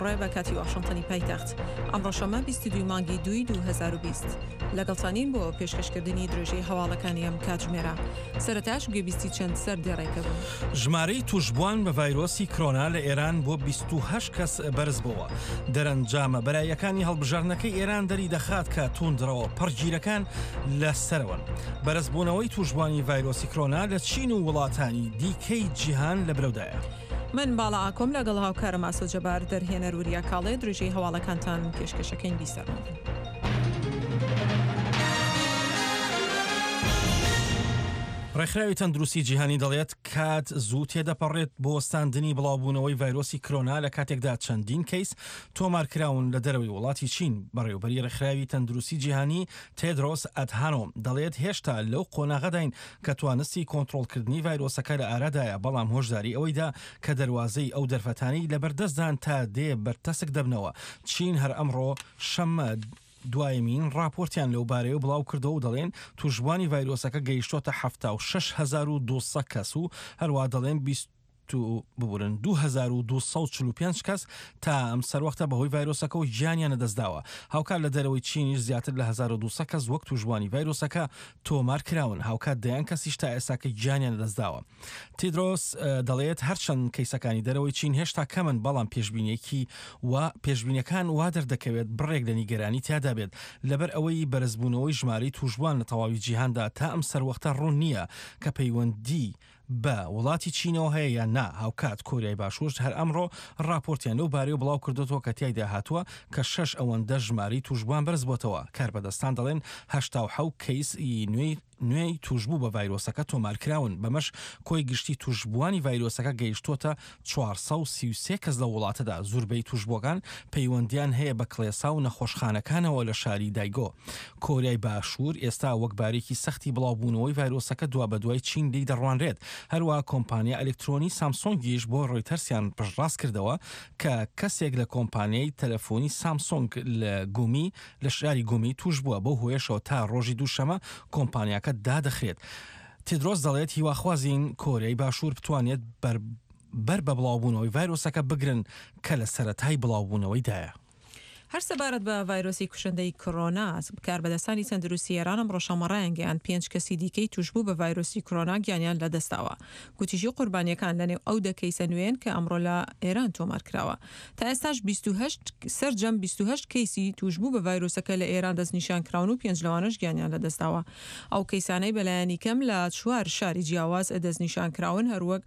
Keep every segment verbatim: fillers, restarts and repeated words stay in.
ڕێ بە کاتی واشنتنی پایتەخت. ئەمڕۆ شەممە بیست و دوو مانگی دووی دوو هەزار و بیست. لەگەڵتانین بۆ پێشکەشکردنی درێژەی هەواڵەکانی ئەم کاتژمێرە. سەرەتاش گوێبیستی چەند سەردێڕێکە بوون. ژمارەی تووشبووان بە ڤایرۆسی کرۆنا لە ئێران بۆ بیست و هەشت کەس بەرزبووە. دەرەنجامە بەراییەکانی هەڵبژاردنەکەی ئێران دەری دەخات کە توندڕەوە پەڕگیرەکان لە سەرەوەن. بەرزبوونەوەی تووشبووانی ڤایرۆسی کرۆنا لە چین و وڵاتانی دیکەی جیهان لە برەودایە. من باڵا ئاکۆم لەگەڵ هاوکارم ئاسۆ جەبار، دەرهێنەر وریا کاڵێ، درێژەی هەواڵەکانتان پێشکەشەکەین. بیسەرمان بن. ڕێکخراوی تەندروستی جیهانی دەڵێت کات زوو تێدەپەڕێت بۆ وەستاندنی بڵاوبوونەوەی ڤایرۆسی کرۆنا لە کاتێکدا چەندین کەیس تۆمارکراون لە دەرەوەی وڵاتی چین. بەڕێوبەری ڕێکخراوی تەندروستی جیهانی تێدرۆس ئەدهانۆم دەڵێت هێشتا لەو قۆناغەداین کە توانستی کۆنترۆڵکردنی ڤایرۆسەکە لە ئارادایە، بەڵام هۆشداری ئەوەیدا کە دەروازەی ئەو دەرفەتانەی لەبەردەستدان تا دێ بەرتەسک دەبنەوە. چین هەر ئەمڕۆ شەممە دوایمین راپۆرتیان لەو بارەیەوە بڵاو کردەوە و دەڵێن تووشبوانی ڤایرۆسەکە گەیشتۆتە حەفتا و شەش هەزار و دوو سەد کەس و هەروە دەڵێن بیست ببورن دوو هەزار و دوو سەد و چل و پێنج کەس تا ئەم سەروەختە بەهۆی ڤایرۆسەکەەوە گیانیان لەدەستداوە. هاوکات لە دەرەوەی چینیش زیاتر لە هەزار و دوو سەد کەس وەک تووشبوانی ڤایرۆسەکە تۆمار کراون، هاوکات دەیان کەسیش تا ئێستاکە گیانیان لەدەستداوە. تیدرۆس دەڵێت هەرچەند کەیسەکانی دەرەوەی چین هێشتا کەمن، بەڵام پێشبینێکی و پێشبینەکان وا دەردەکەوێت بڕێک لە نیگەرانی تیادا بێت، لەبەر ئەوەی بەرزبوونەوەی ژمارەی تووشبوان لە تەواوی جیهاندا تا ئەم سەروەختە ڕوون نییە کە پەیوەندی بە وڵاتی چینەوە هەیە یان نا. هاوکات کۆریای باشوور هەر ئەمڕۆ راپۆرتیان لەو بارەیەوە بڵاو کردوێتەوە کە تیایدا هاتووە کە شەش ئەوەندە ژمارەی تووشبووان بەرز بۆتەوە. کاربەدەستان دەڵێن هەشتا و حەوت کەیس ی نوێی نوێی تووشبوو بە ڤایرۆسەکە تۆمارکراون، بەمەش کۆی گشتی تووشبووانی ڤایرۆسەکە گەیشتۆتە چوار سەد و سی و سێ کەس لە وڵاتەدا. زوربەی تووشبووەکان پەیوەندیان هەیە بە کڵێسا و نەخۆشخانەکانەوە لە شاری دایگۆ. کۆریای باشوور ئێستا وەک بارێکی سەختی بڵاوبوونەوەی ڤایرۆسەکە دوا بەدوای چین لێی دەڕوانرێت. هەروە کۆمپانیا ئەلکترۆنی سامسۆنگیش بۆ ڕۆیتەرسیان پشتڕاست کردەوە کە کەسێک لە کۆمپانیای تەلەفۆنی سامسۆنگ لە گومی لە شاری گومی توش بووە، بەو هۆیەشەوە تا ڕۆژی دووشەمە کۆمپانیاکە دادەخرێت. تیدرۆس دەڵێت هیواخوازین کۆریای باشوور بتوانێت بەر بەر بە بڵاوبوونەوەی ڤایرۆسەکە بگرن کە لە سەرەتای بڵاوبوونەوەیدایە. هەر سەبارەت بە ڤایرۆسی کوشندەی کۆرۆنا، کاربەدەستانی تەندروستی ئێران ئەمڕۆ شەممە ڕایانگەیاند پێنج کەسی دیکەی تووشبوو بە ڤایرۆسی کۆرۆنا گیانیان لەدەستداوە. گوتیشی قوربانیەکان لەنێو ئەو دە کەیسە نوێن کە ئەمڕۆ لە ئێران تۆمار کراوە. تا ئێستاش بیست و هەشت سەرجەم بیست و هەشت کەیسی تووشبوو بە ڤایرۆسەکە لە ئێران دەستنیشان کراون و پێنج لەوانەش گیانیان لەدەستداوە. ئەو کەیسانەی بەلایەنی کەم لە چوار شاری جیاواز دەستنیشان کراون، هەروەک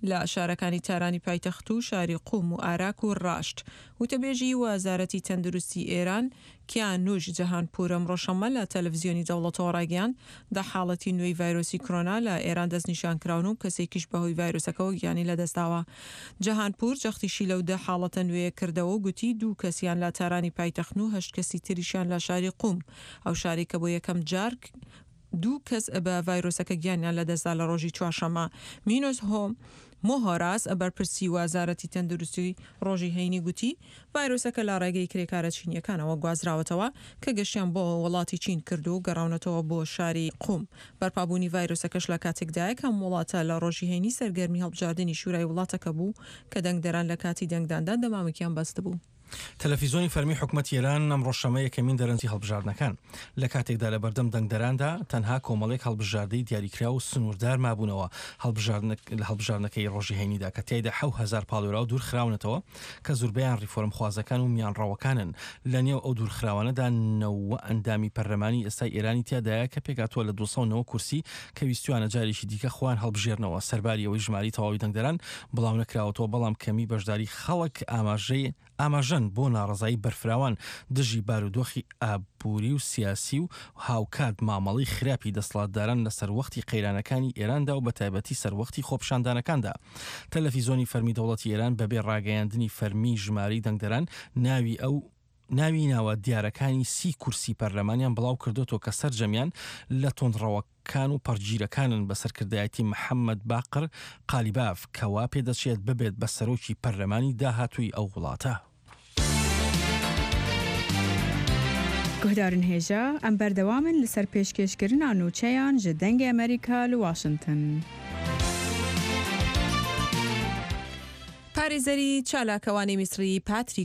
لە شارەکانی تارانی پایتەخت و شاری قوم و ئاراک و ڕاشت. وتەبێژی وەزارەتی تەندروستی ئێران کیانوش جەهانپور ئەمڕۆ شەممە لە تەلەڤزیۆنی دەوڵەتەوە ڕایگەیاند دە حاڵەتی نوێی ڤایرۆسی کۆرۆنا لە ئێران دەستنیشان کراون و کەسێکیش بەهۆی ڤایرۆسەکەوە گیانی لەدەستداوە. جەهانپور جەختیشی لەو دە حاڵەتە نوێیە کردەوە و گوتی دوو کەسیان لە تارانی پایتەختن و هەشت کەسی تریشیان لە شاری قوم، ئەو شارەی کە بۆ یەکەم جار دوو کەس بە ڤایرۆسەکە گیانیان لەدەستدا لە ڕۆژی چوارشەممە. مینۆس هۆم مۆهۆراس بەرپرسی وەزارەتی تەندروستی ڕۆژی هەینی گوتی ڤایرۆسەکە لە ڕێگەی کرێکارە چینیەکانەوە گوازراوەتەوە کە گەشتیان بۆ وڵاتی چین کرد و گەڕاونەتەوە بۆ شاری قوم. بەرپابوونی ڤایرۆسەکەش لە کاتێکدایە کە ئەم وڵاتە لە ڕۆژی هەینی سەرگەرمی هەڵبژاردنی شورای وڵاتەکە بوو کە دەنگدەران لە کاتی دەنگداندا دەمامکیان بەستبوو. تەلەفیزیۆنی فەرمی حکومەتی ئێران ئەمڕۆ شەممە یەکەمین دەرەنجی هەڵبژاردنەکان لە کاتێکدا لە بەردەم دەنگدەراندا تەنها کۆمەڵێک هەڵبژاردەی دیاریکراو و سنووردار مابوونەوە لە هەڵبژاردنەکەی ڕۆژی هەینیدا کە تیایدا حەو هەزار پاڵێوراو دوورخراونەتەوە کە زوربەیان ڕیفۆرمخوازەکان و میانڕەوەکانن. لە نێو ئەو دوورخراوانەدا نەوە ئەندامی پەرلەمانی ئێستای ئێرانی تیادایە کە پێکهاتووە لە دوو سەد و نەوە کورسی کە ویستویانە جارێکی دیکە خۆیان هەڵبژێرنەوە. سەرباری ئەوەی ژمارەی تەواوی دەنگدەران بڵاونەکراوەتەوە، بەڵام کەمی بەشداری خەڵک ئاماژەی ئاماژەن بۆ ناڕەزایی بەرفراوان دژی بارودۆخی ئابووری و سیاسی و هاوکات مامەڵەی خراپی دەسەڵاتداران لە سەروەختی قەیرانەکانی ئێراندا و بەتایبەتی سەروەختی خۆپیشاندانەکاندا. تەلەفیزۆنی فەرمی دەوڵەتی ئێران بەبێ ڕاگەیاندنی فەرمی ژمارەی دەنگدەران ناوی ئەو ناوی ناوە دیارەکانی سی کورسی پەرلەمانیان بڵاو کردوەوە کە سەرجەمیان لە توندڕەوەکان و پەڕگیرەکانن بە سەرکردایەتی محەممەد باقر قالیباف کە وا پێدەچێت ببێت بە سەرۆکی پەرلەمانی داهاتووی ئەو وڵاتە. گوهدارن هێژا ئەم بەردەوامن لەسەر پێشکێشکردنا نوچەیان ji دەنگê ئەمریکا li Washington. پارێزەری چالاکەوانی میسری پاتریک